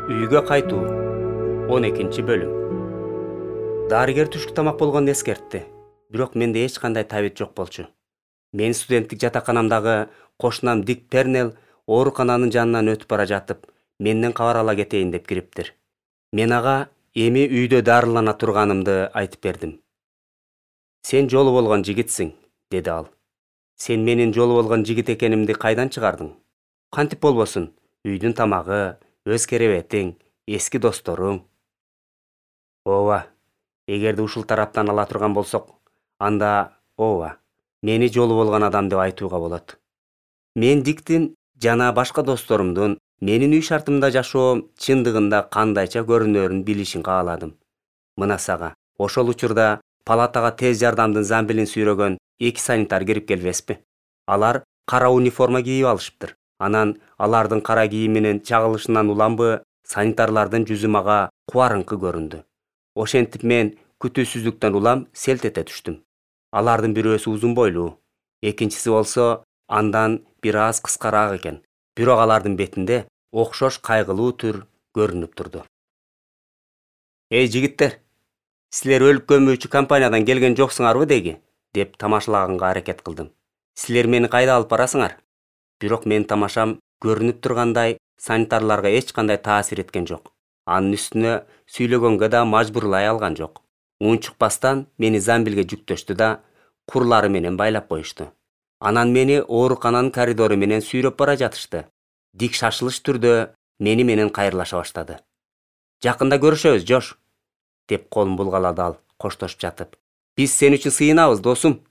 Үйгө кайтуу 12-бөлүм. Дарыгер түшкү тамак болгонун эскертти, бирок менде эч кандай табит жок болчу. Мен студенттик жатаканамдагы кошунам Дик Пернел оорукананын жанынан өтүп бара жатып, менден кабар ала кетейин деп кириптир. Мен ага эми үйдө дарылана турганымды айтып бердим. Сен жолу болгон жигитсиң, деди ал. Сен менин жолу болгон жигит экенимди кайдан чыгардың? Кантип болбосун, үйдүн тамагы, өз керебетиң, эски досторуң. Ооба, эгерде ушул тараптан ала турган болсок, анда ооба, мени жолу болгон адам деп айтууга болот. Мен Диктин жана башка досторумдун менин үй шартымда жашоом чындыгында кандайча көрүнөрүн билишин кааладым. Мына сага, ошол учурда палатага тез жардамдын замбилин сүйрөгөн 2 санитар кирип келбеспи? Алар кара униформа кийип алышыптыр. Анан алардын кара кийиминин чагылышынан уламбы санитарлардын жүзү мага кубарыңкы көрүндү. Ошентип мен күтүүсүздүктөн улам селт эте түштүм. Алардын бирөөсү узун бойлуу, экинчиси болсо андан бир аз кыскараак экен. Бирок алардын бетинде окшош кайгылуу түр көрүнүп турду. Эй жигиттер, силер өлүп көмүүчү компаниядан келген жоксуңарбы деги? Деп тамашалаганга аракет кылдым. Силер мени кайда алып барасыңар? Бирок менин тамашам көрүнүп тургандай санитарларга эч кандай таасир эткен жок. Анын үстүнө сүйлөгөнгө да мажбурлай алган жок. Унчукпастан мени замбилге жүктөштү да курлары менен байлап коюшту. Анан мени оорукананын коридору менен сүйрөп бара жатышты. Дик шашылыш түрдө мени менен кайрылаша баштады. Жакында көрүшөбүз, Жош, деп колун булгалады ал, коштошуп жатып. Биз сен үчүн сыйынабыз, досум.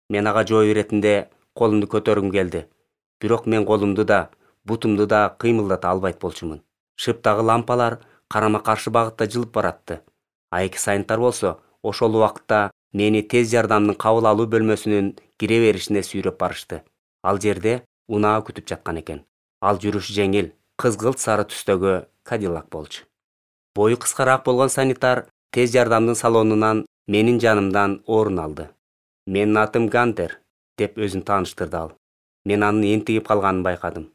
Мен ага жооп иретинде колумду көтөргүм келди. Бирок мен колумду да, бутумду да кыймылдата албайт болчумун. Шыптагы лампалар карама-каршы багытта жылып баратты. А 2 санитар болсо ошол убакытта мени тез жардамдын кабыл алуу бөлмөсүнүн кире беришине сүйрөп барышты. Ал жерде унаа күтүп жаткан экен. Ал жүрүшү жеңил, кызгылт сары түстөгү Кадиллак болчу. Бою кыскараак болгон санитар тез жардамдын салонунан менин жанымдан орун алды. Менин атым Гантер, деп өзүн тааныштырды ал. Мен анын энтигип калганын байкадым.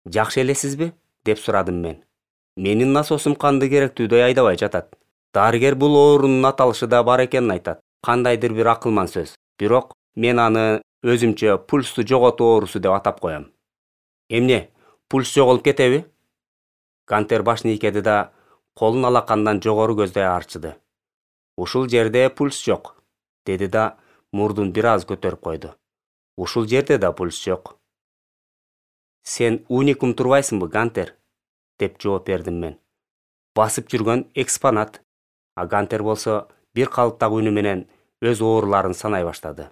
Жакшы элесизби? Деп сурадым мен. Менин насосум канды керектүүдөй айдабай жатат. Дарыгер бул оорунун аталышы да бар экенин айтат. Кандайдыр бир акылман сөз. Бирок мен аны өзүмчө пульсту жоготуу оорусу деп атап коем. Эмне, пульс жоголуп кетеби? Гантер башын ийкеди да колун алакандан жогору көздөй арчыды. Ушул жерде пульс жок, деди да мурдун бир аз көтөрүп койду. Ушул жерде да пульс жок. Сен уникум турбайсыңбы, Гантер? Деп жооп бердим мен. Басып жүргөн экспонат. А Гантер болсо бир калыптагы үнү менен өз ооруларын санай баштады.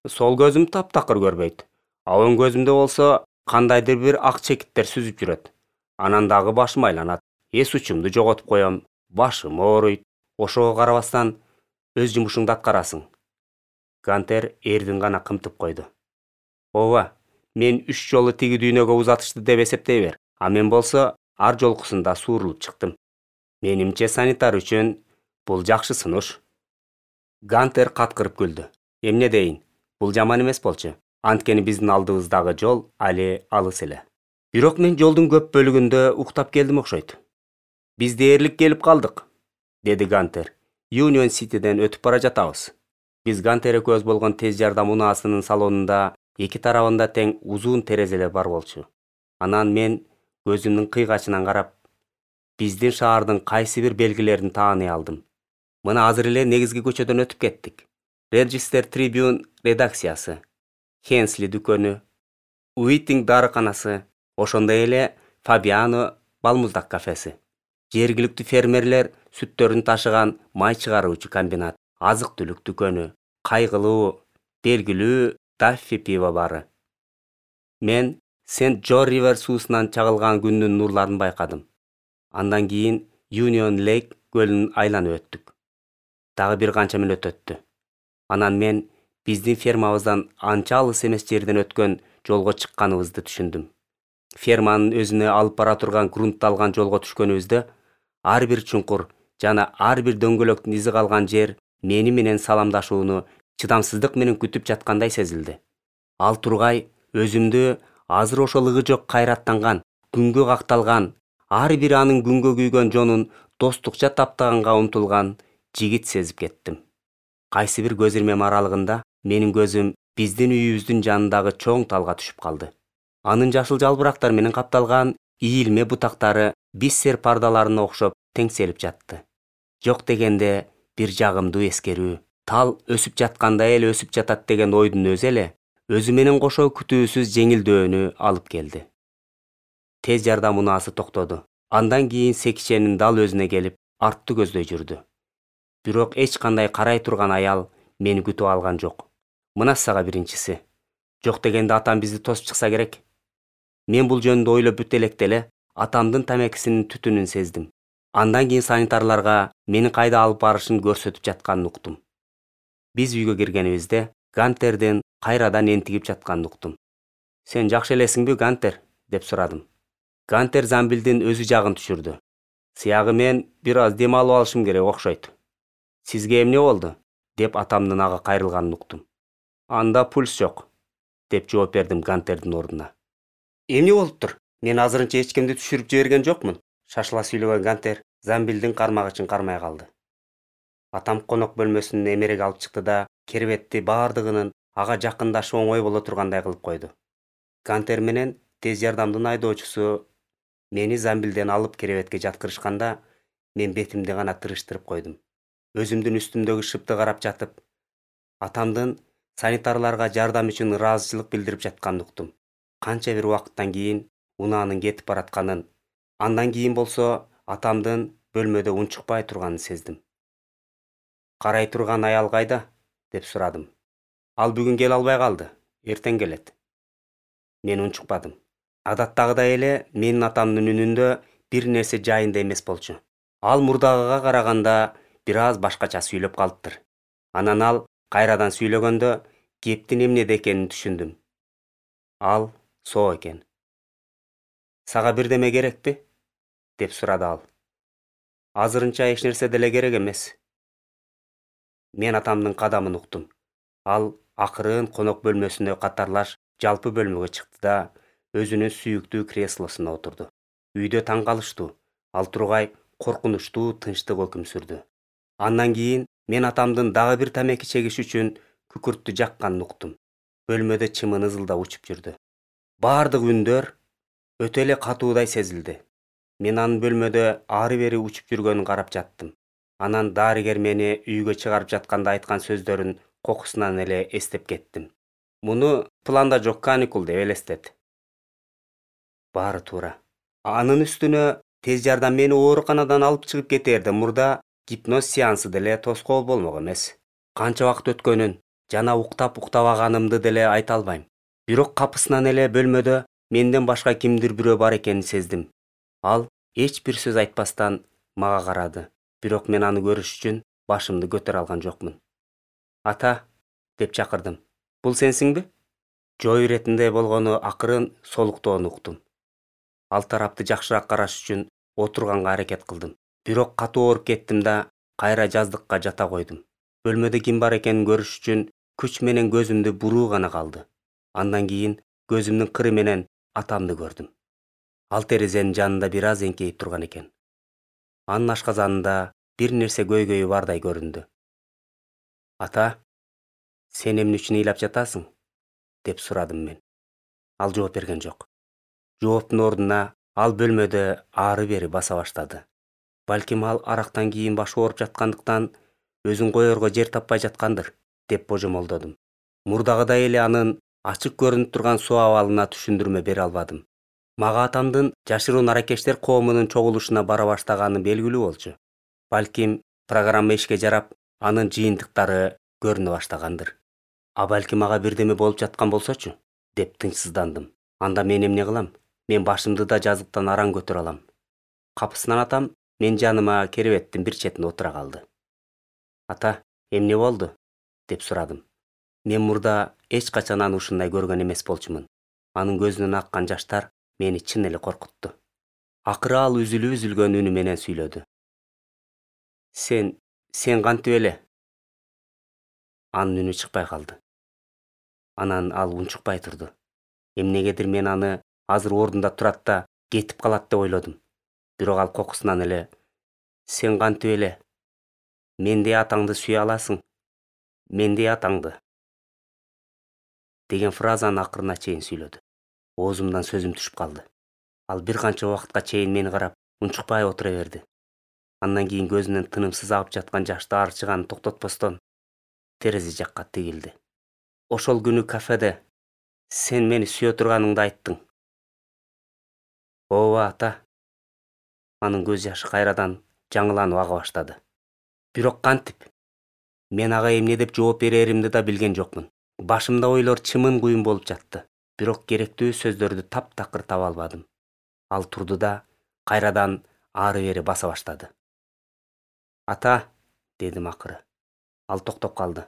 Сол көзүм таптакыр көрбөйт. А оң көзүмдө болсо кандайдыр бир ак чекиттер сүзүп жүрөт. Анан дагы башым айланат. Эс учумду жоготуп коем, башым ооруйт. Ошого карабастан өз жумушуңду аткарасың. Гантер эрдин гана кымтып койду. Ооба, мен 3 жолу тиги дүйнөгө узатышты деп эсептей бер. А мен болсо ар жолкусунда суурулуп чыктым. Менимче санитар үчүн бул жакшы сунуш. Гантер каткырып күлдү. Эмне дейин? Бул жаман эмес болчу. Анткени биздин алдыбыздагы жол али алыс эле. Бирок мен жолдун көп бөлүгүндө уктап келдим окшойт. Биз дээрлик келип калдык, деди Гантер. Union City'ден өтүп бара жатабыз. Биз Гантер экөөбүз болгон тез жардам унаасынын салонунда 2 тарабында тең узун терезелер бар болчу. Анан мен көзүмдүн кыйгачынан карап, биздин шаардын кайсы бир белгилерин тааный алдым. Мына азыр эле негизги көчөдөн өтүп кеттик. Register Tribune редакциясы, Хенсли дүкөнү, Уитинг дарыканасы, ошондой эле Фабиано балмуздак кафеси. Жергиликтүү фермерлер сүттөрүн ташыган май чыгаруучу комбинат, азык-түлүк дүкөнү, кайгылуу, белгилүү Даффи пиво бары. Мен Сент-Джо Ривер суусунан чагылган күндүн нурларын байкадым. Андан кийин Union Lake көлүн айланып өттүк. Дагы бир канча мүнөт өттү. Анан мен биздин фермабыздан анча алыс эмес жерден өткөн жолго чыкканыбызды түшүндүм. Ферманын өзүнө алып бара турган грунтталган жолго түшкөнүбүздө ар бир чуңкур жана ар бир дөңгөлөктүн изи калган жер мени менен саламдашууну чыдамсыздык менен күтүп жаткандай сезилди. Ал тургай өзүмдү азыр ошол ыгы жок кайраттанган, күнгө какталган, ар бир анын күнгө күйгөн жонун достукча таптаганга умтулган жигит сезип кеттим. Кайсы бир көз ирмем аралыгында менин көзүм биздин үйүбүздүн жанындагы чоң талга түшүп калды. Анын жашыл жалбырактар менен капталган ийилме бутактары биссер пардаларына окшоп теңселип жатты. Жок дегенде бир жагымдуу эскерүү, тал өсүп жатканда эле өсүп жатат деген ойдун өзү эле өзү менен кошо күтүүсүз жеңилдөөнү алып келди. Тез жардам унаасы токтоду. Андан кийин секиченин дал өзүнө келип, артты көздөй жүрдү. Бирок эч кандай карай турган аял мени күтүп алган жок. Мына сага биринчиси. Жок дегенде атам бизди тосуп чыкса керек. Мен бул жөнүндө ойлоп бүт электе эле атамдын тамекисинин түтүнүн сездим. Андан кийин санитарларга мени кайда алып барышын көрсөтүп жатканын уктум. Биз үйгө киргенибизде Гантердин кайрадан энтигип жатканын уктум. Сен жакшы элесиңби, Гантер? Деп сурадым. Гантер замбилдин өзү жагын түшүрдү. Сыягы мен бир аз дем алып алышым керек окшойт. Сизге эмне болду? Деп атамдын ага кайрылганын уктум. Анда пульс жок, деп жооп бердим Гантердин ордуна. Эмне болуптур? Мен азырынча эч кимди түшүрүп жиберген жокмун. Шашыла сүйлөгөн Гантер замбилдин кармагычын кармай калды. Атам конок бөлмөсүнөн эмерек алып чыкты да кербетти баардыгынын ага жакындашы оңой боло тургандай кылып койду. Гантер менен тез жардамдын айдоочусу мени замбилден алып керебетке жаткырышканда, мен бетимди гана тырыштырып койдум. Өзүмдүн үстүмдөгү шыпты карап жатып, атамдын санитарларга жардам үчүн ыраазычылык билдирип жатканын уктум. Канча бир убакыттан кийин унаанын кетип баратканын, андан кийин болсо атамдын бөлмөдө унчукпай турганын сездим. Карай турган аял кайда? Деп сурадым. Ал бүгүн келе албай калды, эртең келет. Мен унчукпадым. Адаттагыдай эле менин атамдын үнүндө бир нерсе жайында эмес болчу. Ал мурдагыга караганда бир аз башкача сүйлөп калыптыр. Анан ал кайрадан сүйлөгөндө кептин эмнеде экенин түшүндүм. Ал соо экен. Сага бирдеме керекпи? Деп сурады ал. Азырынча эч нерсе деле керек эмес. Мен атамдын кадамын уктум. Ал акырын конок бөлмөсүнө катарлаш жалпы бөлмөгө чыкты да өзүнүн сүйүктүү креслосуна отурду. Үйдө таң калыштуу, ал тургай коркунучтуу тынчтык өкүм сүрдү. Андан кийин мен атамдын дагы бир тамеки чегиш үчүн күкүрттү жакканын уктум. Бөлмөдө чымын ызылдап учуп жүрдү. Баардык үндөр өтө эле катуудай сезилди. Мен анын бөлмөдө ары бери учуп жүргөнүн карап жаттым. Анан дарыгер мени үйгө чыгарып жатканда айткан сөздөрүн кокусунан эле эстеп кеттим. Муну планда жок каникул деп элестет. Баары туура. Анын үстүнө тез жардам мени ооруканадан алып чыгып кетээрде мурда гипноз сеансы деле тоскоол болмок эмес. Канча убакыт өткөнүн жана уктабаганымды деле айта албайм. Бирок капысынан эле бөлмөдө менден башка кимдир бирөө бар экенин сездим. Ал эч бир сөз айтпастан мага карады. Бирок мен аны көрүш үчүн башымды көтөрө алган жокмун. Ата, деп чакырдым. Бул сенсиңби? Жоо иретинде болгону акырын солуктоону уктум. Ал тарапты жакшыраак караш үчүн отурганга аракет кылдым. Бирок катуу ооруп кеттим да кайра жаздыкка жата койдум. Бөлмөдө ким бар экенин көрүш үчүн күч менен көзүмдү буруу гана калды. Андан кийин көзүмдүн кыры менен атамды көрдүм. Ал терезенин жанында бир аз эңкейип турган экен. Анын ашказанында бир нерсе көйгөйү бардай көрүндү. Ата, сен эмне үчүн ыйлап жатасың? Деп сурадым мен. Ал жооп берген жок. Жооптун ордуна ал бөлмөдө ары бери баса баштады. Балким ал арактан кийин башы ооруп жаткандыктан өзүн коерго жер таппай жаткандыр, деп божомолдодум. Мурдагыдай эле анын ачык көрүнүп турган суу абалына түшүндүрмө бере албадым. Мага атамдын жашыруун аракечтер коомунун чогулушуна бара баштаганы белгилүү болчу. Балким программа ишке жарап, анын жыйынтыктары көрүнө баштагандыр. А балким мага бирдеме болуп жаткан болсочу, деп тынчсыздандым. Анда мен эмне кылам? Мен башымды да жазыктан араң көтөрө алам. Капысынан атам мен жаныма керебеттин бир четине отура калды. Ата, эмне болду? Деп сурадым. Мен мурда эч качан аны ушундай көргөн эмес болчумун. Анын көзүнөн аккан жаштар мени чын эле коркутту. Акыры ал үзүлгөн үнү менен сүйлөдү. Сен кантип эле? Анын үнү чыкпай калды. Анан ал унчукпай турду. Эмнегедир мен аны азыр ордунда турат да кетип калат деп ойлодум. Бирок ал кокусунан эле сен кантип эле мендей атаңды сүйө аласың? Мендей атаңды деген фразаны акырына чейин сүйлөдү. Оозумдан сөзүм түшүп калды. Ал бир канча убакытка чейин мени карап унчукпай отура берди. Андан кийин көзүнөн тынымсыз агып жаткан жашты арчыган токтотпостон терезе жакка тигилди. Ошол күнү кафеде сен мени сүйө турганыңды айттың. Ооба ата. Анын көз жашы кайрадан жаңыланып ага баштады. Бирок кантип? Мен ага эмне деп жооп береримди да билген жокмун. Башымда ойлор чымын куюн болуп жатты. Бирок керектүү сөздөрдү таптакыр таба албадым. Ал турду да кайрадан ары-бери баса баштады. Ата, дедим акыры. Ал токтоп калды.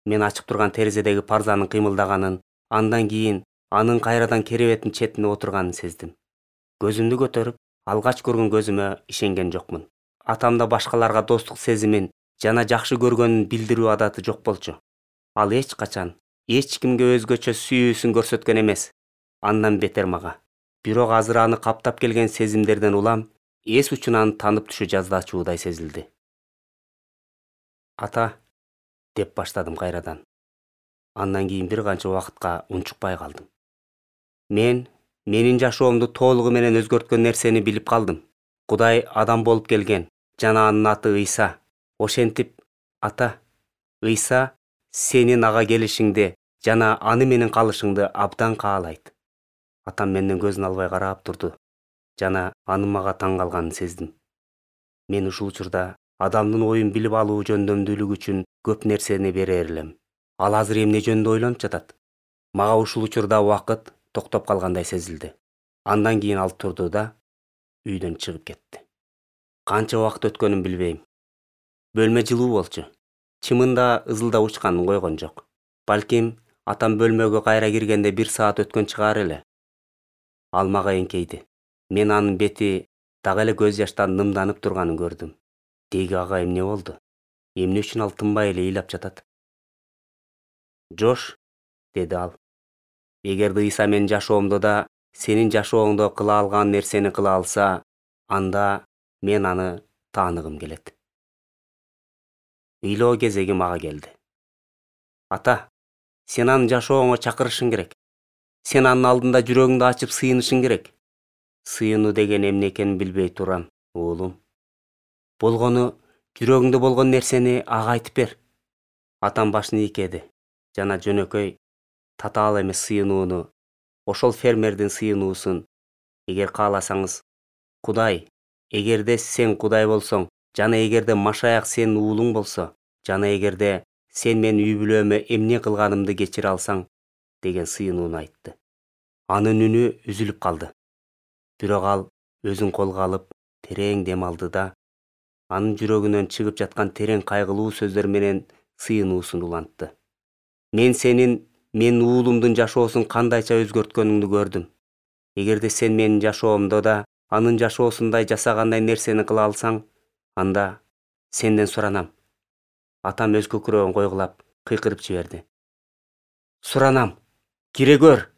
Мен ачык турган терезедеги парзанын кыймылдаганын, андан кийин анын кайрадан керебеттин четине отурганын сездим. Көзүмдү көтөрүп, алгач көргөн көзүмө ишенген жокмун. Атамда башкаларга достук сезимин жана жакшы көргөнүн билдирүү адаты жок болчу. Ал эч качан эч кимге өзгөчө сүйүүсүн көрсөткөн эмес. Андан бетер мага. Бирок азыр аны каптап келген сезимдерден улам эс учунан танып түшө жаздачуудай сезилди. Ата, деп баштадым кайрадан. Андан кийин бир канча убакытка унчукпай калдым. Менин жашоомду толугу менен өзгөрткөн нерсени билип калдым. Кудай адам болуп келген жана анын аты Ыйса. Ошентип, ата, Ыйса сенин ага келишиңди жана аны менен калышыңды абдан каалайт. Атам менден көзүн албай карап турду жана анын мага таң калганын сездим. Мен ушул учурда адамдын оюн билип алуу жөндөмдүүлүгү үчүн көп нерсени берер элем. Ал азыр эмне жөнүндө ойлонуп жатат? Мага ушул учурда убакыт токтоп калгандай сезилди. Андан кийин ал турду да үйдөн чыгып кетти. Канча убакыт өткөнүн билбейм. Бөлмө жылуу болчу. Чымында ызылдап учканын койгон жок. Балким атам бөлмөгө кайра киргенде 1 саат өткөн чыгар эле. Ал мага эңкейди. Мен анын бети дагы эле көз жаштан нымданып турганын көрдүм. Деги ага эмне болду? Эмне үчүн ал тынбай эле ыйлап жатат? Жош, деди ал. Эгерде Ыйса менин жашоомдо да сенин жашооңдо кыла алган нерсени кыла алса, анда мен аны тааныгым келет. Ыйлоо кезеги мага келди. Ата, сен анын жашооңо чакырышың керек. Сен анын алдында жүрөгүңдү ачып сыйынышың керек. Сыйынуу деген эмне экенин билбей турам, уулум. Болгону жүрөгүңдө болгон нерсени ага айтып бер. Атам башын ийкеди жана жөнөкөй татаал эмес сыйынууну, ошол фермердин сыйынуусун, эгер кааласаңыз, Кудай, эгерде сен Кудай болсоң, жана эгерде Машаяк сенин уулуң болсо, жана эгерде сен менин үй бүлөмө эмне кылганымды кечире алсаң, деген сыйынууну айтты. Анын үнү үзүлүп калды. Бирок ал өзүн колго алып, терең дем алды да, анын жүрөгүнөн чыгып жаткан терең кайгылуу сөздөр менен сыйынуусун улантты. Мен сенин менин уулумдун жашоосун кандайча өзгөрткөнүңдү көрдүм. Эгерде сен менин жашоомдо да анын жашоосундай жасагандай нерсени кыла алсаң, анда сенден суранам. Атам өз көкүрөгүн койгулап, кыйкырып жиберди. Суранам, кире көр!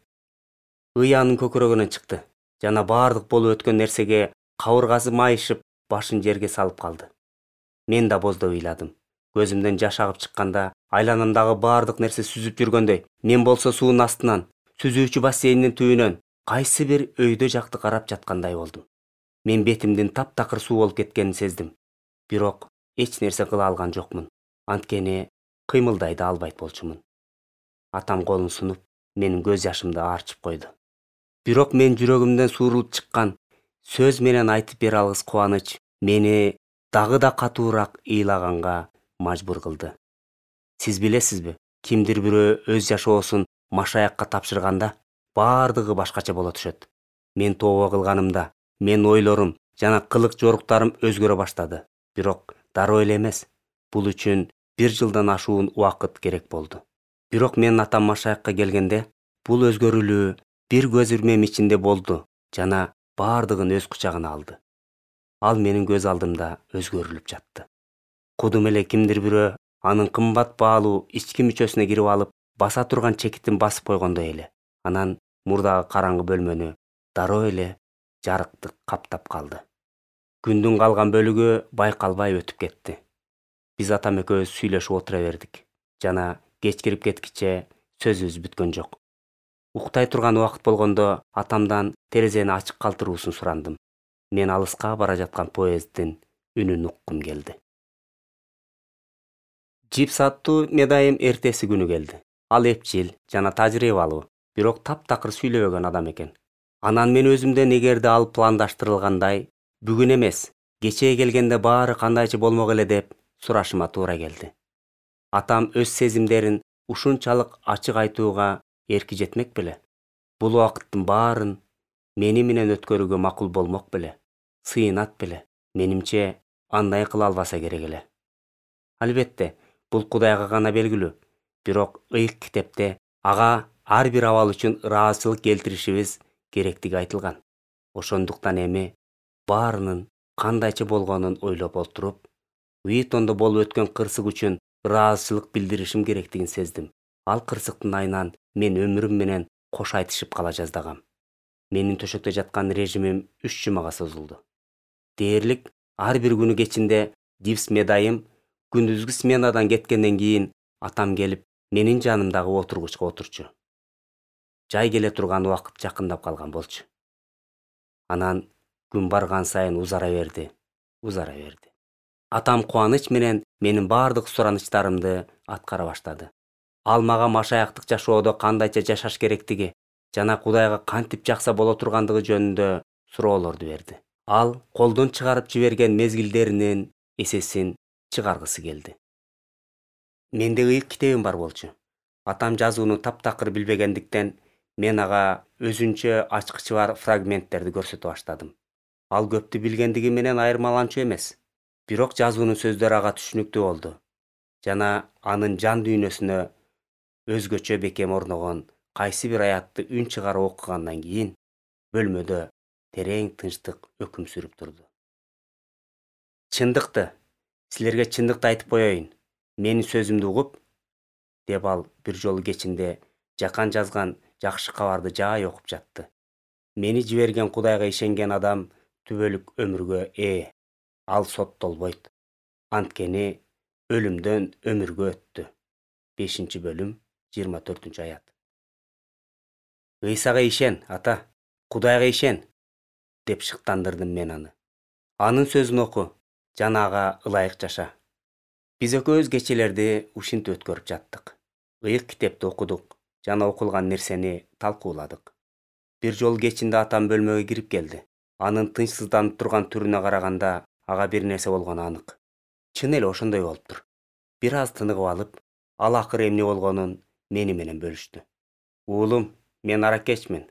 Ый анын көкүрөгүнөн чыкты жана баардык болуп өткөн нерсеге кабыргасы майышып, башын жерге салып калды. Мен да боздоп ыйладым. Көзүмдөн жаш агып чыкканда, айланамдагы баардык нерсе сүзүп жүргөндөй, мен болсо суунун астынан, сүзүүчү бассейндин түбүнөн кайсы бир өйдө жакты карап жаткандай болдум. Мен бетимдин таптакыр суу болуп кеткенин сездим. Бирок эч нерсе кыла алган жокмун. Анткени кыймылдай да албайт болчумун. Атам колун сунуп, менин көз жашымды арчып койду. Бирок мен жүрөгүмдөн суурулуп чыккан сөз менен айтып бере алгыс кубаныч мени дагы да катуураак ыйлаганга мажбур кылды. Сиз билесизби, кимдир бирөө өз жашоосун Машаякка тапшырганда, баардыгы башкача боло түшөт. Мен тообо кылганымда, менин ойлорум жана кылык жоруктарым өзгөрө баштады. Бирок дароо эле эмес. Бул үчүн 1 жылдан ашуун убакыт керек болду. Бирок менин атам Машаякка келгенде, бул өзгөрүлүү бир көз ирмем ичинде болду жана баардыгын өз кучагына алды. Ал менин көз алдымда өзгөрүлүп жатты. Кудум эле кимдир бирөө анын кымбат баалуу ички мүчөсүнө кирип алып, баса турган чекитин басып койгондой эле. Анан мурдагы караңгы бөлмөнү дароо эле жарыктык каптап калды. Күндүн калган бөлүгү байкалбай өтүп кетти. Биз атам экөөбүз сүйлөшүп отура бердик. Жана кеч кирип кеткиче сөзүбүз бүткөн жок. Уктай турган убакыт болгондо атамдан терезени ачык калтыруусун сурандым. Мен алыска бара жаткан поезддин үнүн уккум келди. Джипс аттуу медайым эртеси күнү келди. Ал эпчил жана тажрыйбалуу, бирок таптакыр сүйлөбөгөн адам экен. Анан мен өзүмдөн эгерде ал пландаштырылгандай, бүгүн эмес, кечээ келгенде баары кандайча болмок эле деп сурашыма туура келди. Атам өз сезимдерин ушунчалык ачык айтууга эрки жетмек беле? Бул убакыттын баарын мени менен өткөрүүгө макул болмок беле? Сыйынат беле? Менимче, андай кыла албаса керек эле. Албетте, бул Кудайга гана белгилүү. Бирок ыйык китепте ага ар бир абал үчүн ыраазычылык келтиришибиз керектиги айтылган. Ошондуктан эми баарынын кандайча болгонун ойлоп отуруп, Уитондо болуп өткөн кырсык үчүн ыраазычылык билдиришим керектигин сездим. Ал кырсыктын айынан мен өмүрүм менен кош айтышып кала жаздагам. Менин төшөктө жаткан режимим 3 жумага созулду. Дээрлик ар бир күнү кечинде Дивс медайым күндүзгү сменадан кеткенден кийин атам келип менин жанымдагы отургучка отурчу. Жай келе турган убакыт жакындап калган болчу. Анан күн барган сайын узара берди. Атам кубаныч менен менин бардык суранычтарымды аткара баштады. Ал мага машаяктык жашоодо кандайча жашаш керектиги жана Кудайга кантип жакса боло тургандыгы жөнүндө суроолорду берди. Ал колдон чыгарып жиберген мезгилдеринин эсесин чыгаргысы келди. Менде ыйык китебим бар болчу. Атам жазууну таптакыр билбегендиктен мен ага өзүнчө ачкычы бар фрагменттерди көрсөтө баштадым. Ал көптү билгендиги менен айырмаланчу эмес. Бирок жазуунун сөздөрү ага түшүнүктүү болду. Жана анын жан дүйнөсүнө өзгөчө бекем орногон кайсы бир аятты үн чыгарып окугандан кийин бөлмөдө терең тынчтык өкүм сүрүп турду. Чындыкты, силерге чындыкты айтып коеюн. Менин сөзүмдү угуп, деп ал бир жолу кечинде жакан жазган жакшы кабарды жай окуп жатты. Мени жиберген Кудайга ишенген адам түбөлүк өмүргө ээ. Ал соттолбойт. Анткени өлүмдөн өмүргө өттү. 5-бөлүм, 24-аят. Ыйсага ишен, ата, Кудайга ишен, деп шыктандырдым мен аны. Анын сөзүн оку, жана ага ылайык жаша. Биз экөөбүз кечелерди ушинтип өткөрүп жаттык. Ыйык китепти окудук жана окулган нерсени талкууладык. Бир жолу кечинде атам бөлмөгө кирип келди. Анын тынчсызданып турган түрүнө караганда ага бир нерсе болгону анык. Чын эле ошондой болуптур. Бир аз тыныгып алып, ал акыры эмне болгонун мени менен бөлүштү. Уулум, мен аракечмин.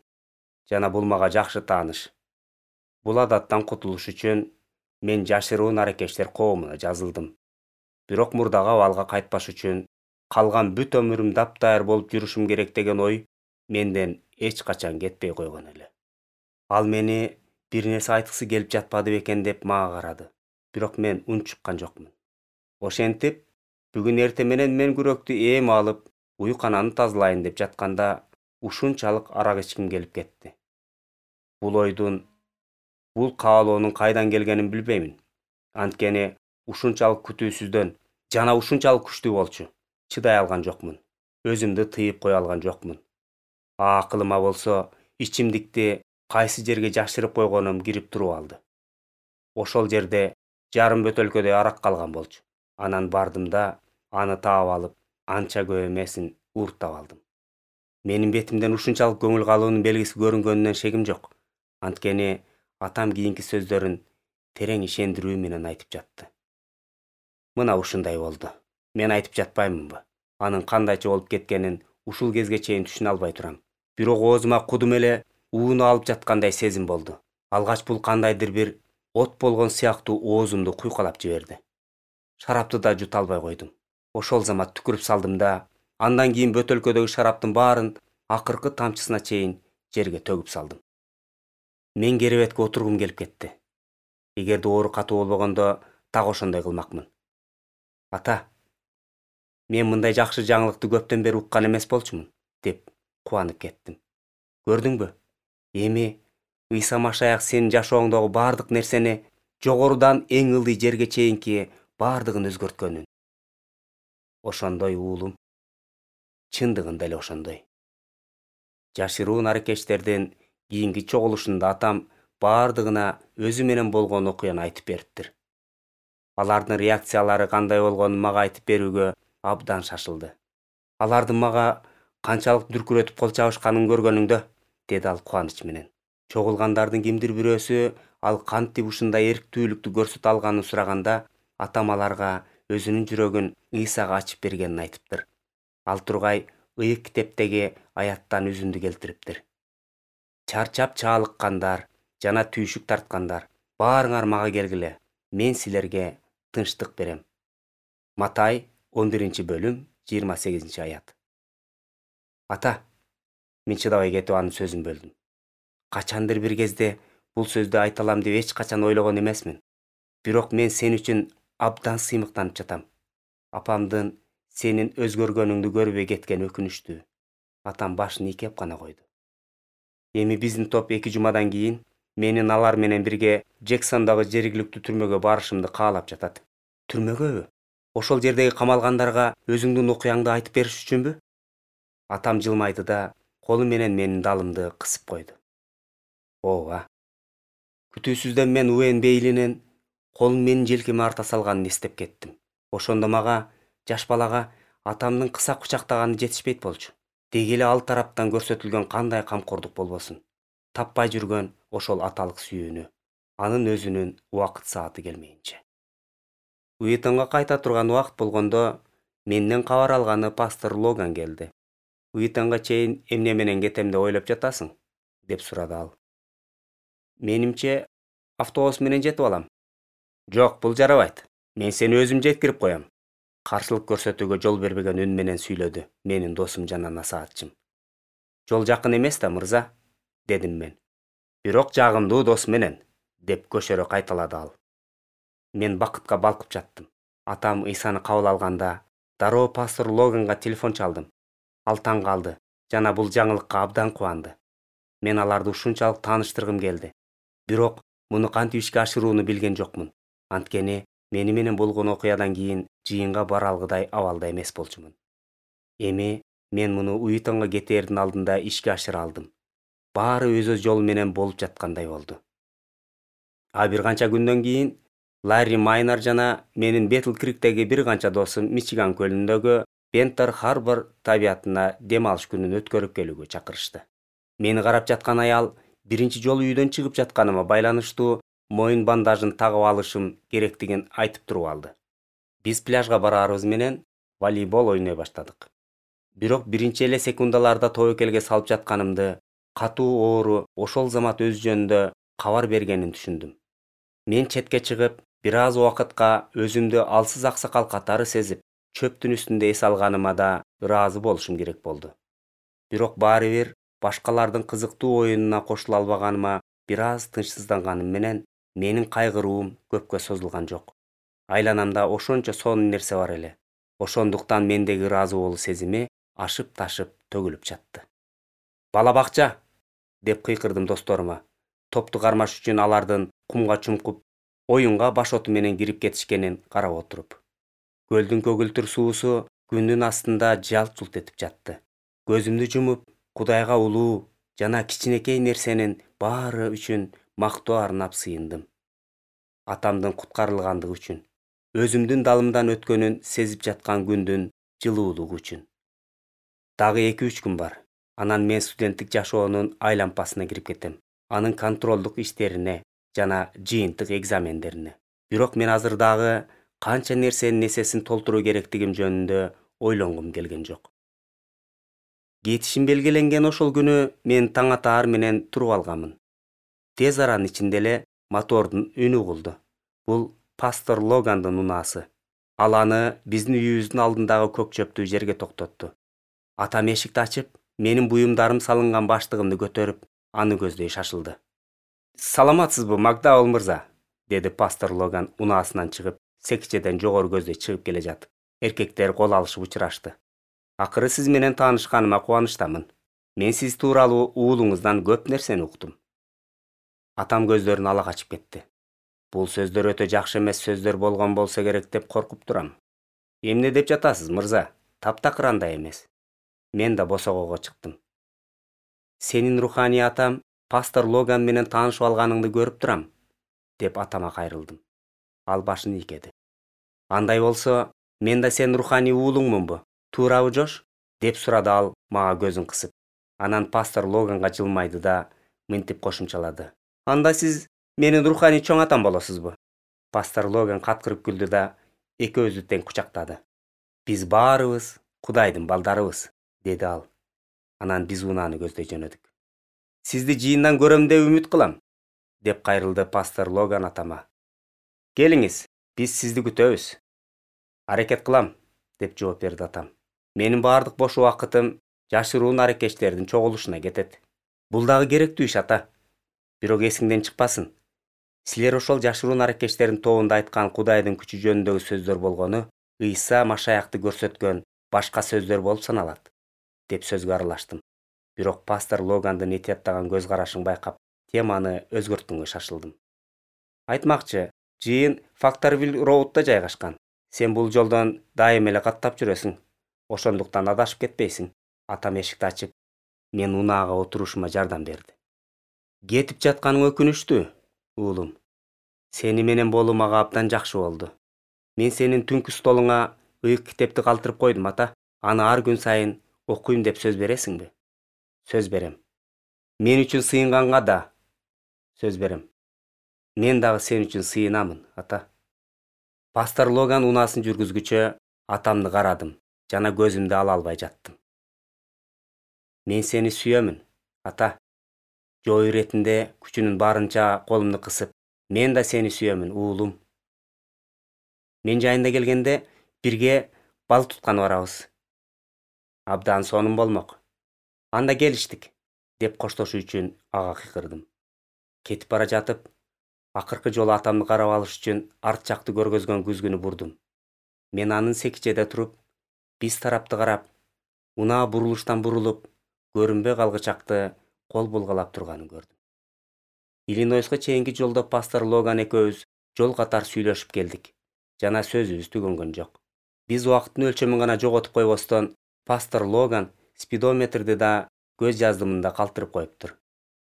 Жана бул мага жакшы тааныш. Бул адаттан кутулуш үчүн мен жашыруун аракечтер коомуна жазылдым. Бирок мурдагы абалга кайтпаш үчүн калган бүт өмүрүм таптайыр болуп жүрүшүм керек деген ой менден эч качан кетпей койгон эле. Ал мени бир нерсе айткысы келип жатпады бекен деп мага карады. Бирок мен унчуккан жокмун. Ошентип, бүгүн эртең менен мен күрөктү эми алып, уйкананы тазалайын деп жатканда ушунчалык арак ичким келип кетти. Бул каалоонун кайдан келгенин билбеймин. Анткени ушунчалык күтүүсүздөн жана ушунчалык күчтүү болчу. Чыдай алган жокмун. Өзүмдү тыйып кое алган жокмун. Акылыма болсо, ичимдикти кайсы жерге жашырып койгонум кирип туруп алды. Ошол жерде жарым бөтөлкөдөй арак калган болчу. Анан бардым да, аны таап алып, анча көп эмесин ууртап алдым. Менин бетимден ушунчалык көңүл калуунун белгиси көрүнгөнүнөн шегим жок. Анткени атам кийинки сөздөрүн терең ишендирүү менен айтып жатты. Мына ушундай болду. Мен айтып жатпаймынбы? Анын кандайча болуп кеткенин ушул кезге чейин түшүнө албай турам. Бирок оозума кудум эле ууну алып жаткандай сезим болду. Алгач бул кандайдыр бир от болгон сыяктуу оозумду куйкалап жиберди. Шарапты да жута албай койдум. Ошол замат түкүрүп салдым да, андан кийин бөтөлкөдөгү шараптын баарын акыркы тамчысына чейин жерге төгүп салдым. Мен керебетке отургум келип кетти. Эгерде оору катуу болбогондо так ошондой кылмакмын. Ата, мен мындай жакшы жаңылыкты көптөн бери уккан эмес болчумун, деп кубанып кеттим. Көрдүңбү? Эми Ыйса Машаяк сенин жашооңдогу бардык нерсени жогорудан эң ылдый жерге чейинки бардыгын өзгөрткөнүн. Ошондой уулум, чындыгында эле ошондой. Жашыруун аракеттердин кийинки чогулушунда атам бардыгына өзү менен болгон окуяны айтып бериптир. Алардын реакциялары кандай болгонун мага айтып берүүгө абдан шашылды. Алардын мага канчалык дүркүрөтүп кол чабышканын көргөнүңдө, деди ал кубаныч менен. Чогулгандардын кимдир бирөөсү ал кантип ушундай эрктүүлүктү көрсөтө алганын сураганда, атам аларга өзүнүн жүрөгүн Ыйсага ачып бергенин айтыптыр. Ал тургай ыйык китептеги аяттан үзүндү келтириптир. Чарчап чаалыккандар жана түйшүк тарткандар, баарыңар мага келгиле, мен силерге тынчтык берем. Матай 11-бөлүм 28-аят. Ата, мен чыдабай кетип анын сөзүн бөлдүм. Качандыр бир кезде бул сөздү айта алам деп эч качан ойлогон эмесмин. Бирок мен сен үчүн абдан сыймыктанып жатам. Апамдын сенин өзгөргөнүңдү көрбөй кеткени өкүнүчтүү. Атам башын ийкеп гана койду. Эми биздин топ 2 жумадан кийин менин алар менен бирге Джексондогу жергиликтүү түрмөгө барышымды каалап жатат. Түрмөгөбү? Ошол жердеги камалгандарга өзүңдүн окуяңды айтып бериш үчүнбү? Атам жылмайды да колу менен менин далымды кысып койду. Ооба. Күтүүсүздөн мен Уэн Бейлинин колун менин желкеме арта салганын эстеп кеттим. Ошондо мага, жаш балага, атамдын кыса кучактаганы жетишпейт болчу. Деги эле ал тараптан көрсөтүлгөн кандай камкордук болбосун. Таппай жүргөн ошол аталык сүйүүнү, анын өзүнүн убакыт сааты келмейинче. Уитонго кайта турган убакыт болгондо, менден кабар алганы пастор Логан келди. Уитонго чейин эмне менен кетем деп ойлоп жатасың? Деп сурады ал. Менимче, автобус менен жетип алам. Жок, бул жарабайт. Мен сени өзүм жеткирип коем. Каршылык көрсөтүүгө жол бербеген үн менен сүйлөдү менин досум жана насаатчым. Жол жакын эмес да, мырза, дедим мен. Бирок жагымдуу дос менен, деп көшөрө кайталады ал. Мен бакытка балкып жаттым. Атам Ыйсаны кабыл алганда, дароо пастор Логанга телефон чалдым. Ал таң калды жана бул жаңылыкка абдан кубанды. Мен аларды ушунчалык тааныштыргым келди. Бирок муну кантип ишке ашырууну билген жокмун. Анткени мени менен болгон окуядан кийин жыйынга бара алгыдай абалда эмес болчумун. Эми мен муну Уитонго кетээрдин алдында ишке ашыра алдым. Баары өз жолу менен болуп жаткандай болду. А бир канча күндөн кийин Ларри Майнер жана менин Бетл Криктеги бир канча досум Мичиган көлүндөгү Бентер Харбор табиятына дем алыш күнүн өткөрүп келүүгө чакырышты. Мени карап жаткан аял биринчи жолу үйдөн чыгып жатканыма байланыштуу моюн бандажын тагып алышым керектигин айтып туруп алды. Биз пляжга бараарыбыз менен волейбол ойной баштадык. Бирок биринчи эле секундаларда тобокелге салып жатканымды катуу оору ошол замат өз жөнүндө кабар бергенин түшүндүм. Мен четке чыгып, бир аз убакытка өзүмдү алсыз аксакал катары сезип, чөптүн үстүндө эс алганыма да ыраазы болушум керек болду. Бирок баары бир башкалардын кызыктуу оюнуна кошула албаганыма бир аз тынчсызданганым менен менин кайгыруум көпкө созулган жок. Айланамда ошончо сонун нерсе бар эле. Ошондуктан мендеги ыраазы болуу сезими ашып-ташып төгүлүп жатты. Бала бакча, деп кыйкырдым досторума. Топту кармаш үчүн алардын кумга чумкуп, оюнга башоту менен кирип кетишкенин карап отуруп. Көлдүн көгүлтүр суусу күндүн астында жалт-жулт этип жатты. Көзүмдү жумуп, Кудайга улуу жана кичинекей нерсенин баары үчүн мактоо арнап сыйындым. Атамдын куткарылгандыгы үчүн, өзүмдүн далымдан өткөнүн сезип жаткан күндүн жылуулугу үчүн. Дагы 2-3 күн бар. Анан мен студенттик жашоонун айлампасына кирип кетем. Анын контролдук иштерине жана жыйынтык экзамендерине. Бирок мен азыр дагы канча нерсенин эсесин толтуруу керектигим жөнүндө ойлонгум келген жок. Кетишим белгиленген ошол күнү мен таң атаар менен туруп алганмын. Тез аранын ичинде эле мотордун үнү угулду. Бул пастор Логандын унаасы. Ал аны биздин үйүбүздүн алдындагы көк чөптүү жерге токтотту. Атам эшикти ачып, менин буюмдарым салынган баштыгымды көтөрүп, аны көздөй шашылды. Саламатсызбы, Макдаул мырза, деди пастор Логан унаасынан чыгып, секичеден жогору көздөй чыгып келе жатып. Эркектер кол алышып учурашты. Акыры сиз менен таанышканыма кубанычтамын. Мен сиз тууралуу уулуңуздан көп нерсени уктум. Атам көздөрүн ала качып кетти. Бул сөздөр өтө жакшы эмес сөздөр болгон болсо керек деп коркуп турам. Эмне деп жатасыз, мырза? Таптакыр андай эмес. Мен да босогого чыктым. Сенин руханий атам пастор Логан менен таанышып алганыңды көрүп турам, деп атама кайрылдым. Ал башын ийкеди. Андай болсо, мен да сенин руханий уулуңмунбу? Туурабы, Жош? Деп сурады ал мага көзүн кысып. Анан пастор Логанга жылмайды да мынтип кошумчалады. Анда сиз менин руханий чоң атам болосузбу? Пастор Логан каткырып күлдү да экөөбүздү тең кучактады. Биз баарыбыз Кудайдын балдарыбыз, деди ал. Анан биз унааны көздөй жөнөдүк. Сизди жыйындан көрөм деп үмүт кылам, деп кайрылды пастор Логан атама. Келиңиз, биз сизди күтөбүз. Аракет кылам, деп жооп берди атам. Менин баардык бош убакытым жашыруун аракечтердин чогулушуна кетет. Бул дагы керектүү иш, ата. Бирок эсиңден чыкпасын. Силер ошол жашыруун аракечтердин тобунда айткан Кудайдын күчү жөнүндөгү сөздөр болгону Ыйса Машаякты көрсөткөн башка сөздөр болуп саналат, деп сөзгө аралаштым. Бирок пастор Логандын этияттаган көз карашын байкап, теманы өзгөрткөнгө шашылдым. Айтмакчы, жыйын Факторвилл Роудда жайгашкан. Сен бул жолдон дайым эле каттап жүрөсүң. Ошондуктан адашып кетпейсиң. Атам эшикти ачып, мен унаага отурушума жардам берди. Кетип жатканың өкүнүчтүү, уулум. Сени менен болуу мага абдан жакшы болду. Мен сенин түнкү столуңа ыйык китепти калтырып койдум, ата. Аны ар күн сайын окуйм деп сөз бересиңби? Сөз берем. Мен үчүн сыйынганга да сөз берем. Мен дагы сен үчүн сыйынамын, ата. Пастор Логан унаасын жүргүзгүчө атамды карадым жана көзүмдү ала албай жаттым. Мен сени сүйөмүн, ата. Жоо иретинде күчүнүн барынча колумду кысып, мен да сени сүйөмүн, уулум. Мен жайында келгенде бирге балык тутканы барабыз. Абдан сонун болмок. Анда келиштик, деп коштошуу үчүн ага кыйкырдым. Кетип бара жатып, акыркы жолу атамды карап алыш үчүн арт жакты көргөзгөн күзгүнү бурдум. Мен анын секичеде туруп, биз тарапты карап, унаа бурулуштан бурулуп, көрүнбөй калгычакты кол булгалап турганын көрдүм. Иллинойско чейинки жолдо пастор Логан экөөбүз жол катар сүйлөшүп келдик. Жана сөзүбүз түгөнгөн жок. Биз убакыттын өлчөмүн гана жоготуп койбостон, пастор Логан спидометрди да көз жаздымында калтырып коюптур.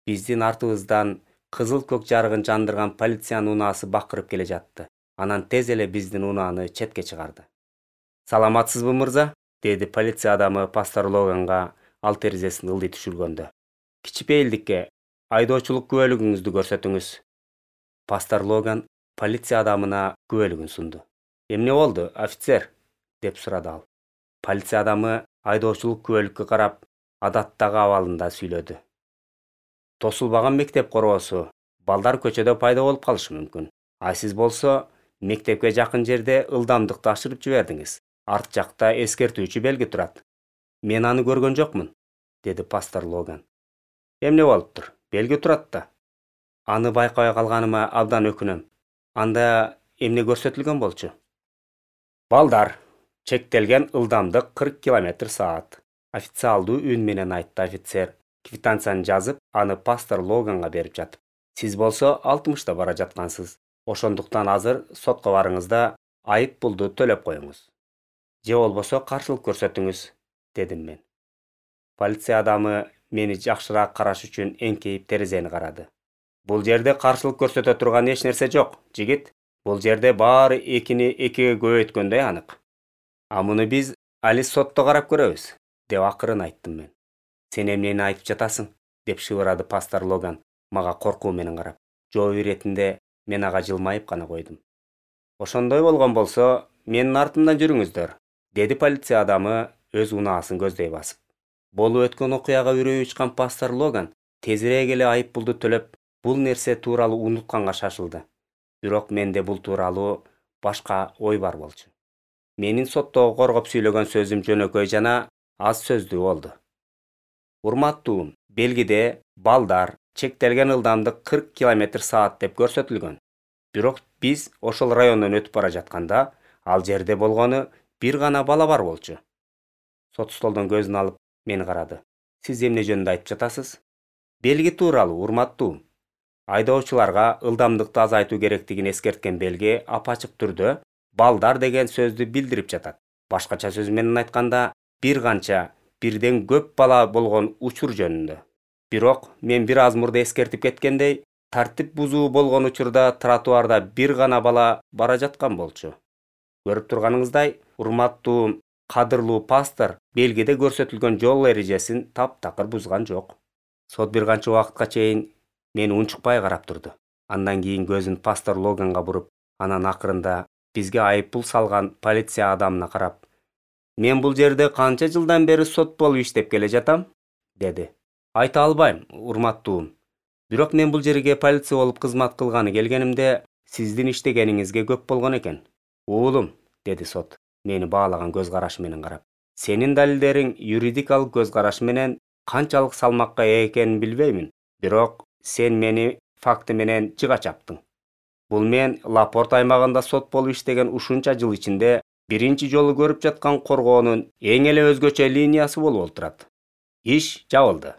Биздин артыбыздан кызыл көк жарыгын жандырган полициянын унаасы бакырып келе жатты. Анан тез эле биздин унааны четке чыгарды. Саламатсызбы, мырза? Деди полиция адамы пастор Логанга ал терезесин ылдый түшүргөндө. Кичипейилдикке айдоочулук күбөлүгүңүздү көрсөтүңүз. Пастор Логан полиция адамына күбөлүгүн сунду. Эмне болду, офицер? Деп сурады ал. Полиция адамы айдоочулук күбөлүккө карап, адаттагы абалында сүйлөдү. Тосулбаган мектеп короосу, балдар көчөдө пайда болуп калышы мүмкүн. А сиз болсо, мектепке жакын жерде ылдамдыкты ашырып жибердиңиз. Арт жакта эскертүүчү белги турат. Мен аны көргөн жокмун, деди пастор Логан. Эмне болуптур? Белги турат да. Аны байкабай калганыма абдан өкүнөм. Анда эмне көрсөтүлгөн болчу? Балдар, чектелген ылдамдык 40 км/саат. Официалдуу үн менен айтты офицер. Квитанцияны жазып, аны пастор Логанга берип жатып. Сиз болсо 60-та бара жаткансыз. Ошондуктан азыр сотко барыңыз да айып пулду төлөп коюңуз. Же болбосо каршылык көрсөтүңүз, дедим мен. Полиция адамы мени жакшыраак караш үчүн эңкейип терезени карады. Бул жерде каршылык көрсөтө турган эч нерсе жок, жигит. Бул жерде баары 2-ни 2-ге көбөйткөндөй анык. А муну биз али сотто карап көрөбүз, деп акырын айттым мен. Сен эмнени айтып жатасың? Деп шыбырады пастор Логан мага коркуу менен карап. Жоо иретинде мен ага жылмайып гана койдум. Ошондой болгон болсо, менин артымдан жүрүңүздөр, деди полиция адамы өз унаасын көздөй басып. Болуп өткөн окуяга үрөйү учкан пастор Логан тезирээк эле айып пулду төлөп, бул нерсе тууралуу унутканга шашылды. Бирок менде бул тууралуу башка ой бар болчу. Менин соттогу коргоп сүйлөгөн сөзүм жөнөкөй жана аз сөздүү болду. Урматтуум, белгиде балдар чектелген ылдамдык 40 км/саат деп көрсөтүлгөн. Бирок биз ошол райондон өтүп бара жатканда, ал жерде болгону бир гана бала бар болчу. Сот столдон көзүн алып мени карады. Сиз эмне жөнүндө айтып жатасыз? Белги тууралуу, урматтуум. Айдоочуларга ылдамдыкты азайтуу керектигин эскерткен белги апачык түрдө балдар деген сөздү билдирип жатат. Башкача сөз менен айтканда, бир канча бирден көп бала болгон учур жөнүндө. Бирок мен бир аз мурда эскертип кеткендей, тартип бузуу болгон учурда тротуарда бир гана бала бара жаткан болчу. Көрүп турганыңыздай, урматтуу, кадырлуу пастор белгиде көрсөтүлгөн жол эрежесин таптакыр бузган жок. Сот бир канча убакытка чейин мени унчукпай карап турду. Андан кийин көзүн пастор Логанга буруп, анан акырында бизге айыппул салган полиция адамына карап: "Мен бул жерде канча жылдан бери сот болуп иштеп келе жатам?" деди. "Айта албайм, урматтуум. Бирок мен бул жерге полиция болуп кызмат кылганы келгенимде сиздин иштегениңизге көп болгон экен." "Уулум", деди сот, мени баалаган көз карашы менен карап. "Сенин далилдериң юридикалык көз караш менен канчалык салмакка ээ экенин билбеймин, бирок сен мени факты менен жыга чаптың. Бул мен Лапорт аймагында сот болуп иштеген ушунча жыл ичинде биринчи жолу көрүп жаткан коргоонун эң эле өзгөчө линиясы болуп олтурат. Иш жабылды."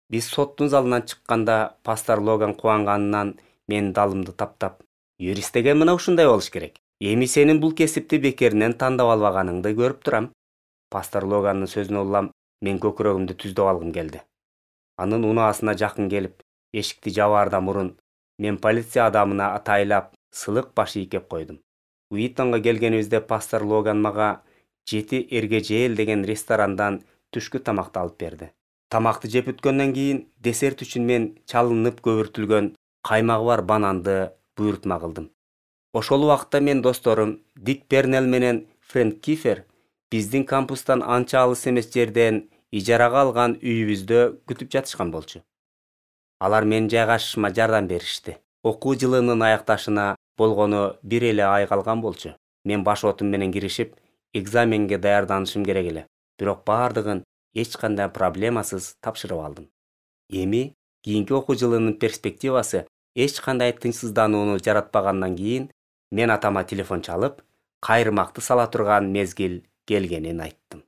Биз соттун залынан чыкканда пастор Логан кубанганынан менин далымды таптап: "Юрист деген мына ушундай болуш керек. Эми сенин бул кесипти бекеринен тандап албаганыңды көрүп турам." Пастор Логанын сөзүнө улам мен көкүрөгүмдү түздөп алгым келди. Анын унаасына жакын келип, эшикти жабаардан мурун мен полиция адамына атайлап сылык баш ийкеп койдум. Уитонго келгенибизде пастор Логан мага 7 Эргежел деген ресторандан түшкү тамакты алып берди. Тамакты жеп бүткөндөн кийин десерт үчүн мен чалынып көбүртүлгөн каймагы бар бананды буйрутма кылдым. Ошол убакытта мен досторум Дик Пернел менен Фрэнк Кифер биздин кампустан анча алыс эмес жерден ижарага алган үйүбүздө күтүп жатышкан болчу. Алар менин жайгашышыма жардам беришти. Окуу жылынын аякташына болгону бир эле ай калган болчу. Мен баш отум менен киришип, экзаменге даярданышым керек эле. Бирок бардыгын эч кандай проблемасыз тапшырып алдым. Эми кийинки окуу жылынын перспективасы эч кандай тынчсызданууну жаратпагандан кийин мен атама телефон чалып, кайрымакты сала турган мезгил келгенин айттым.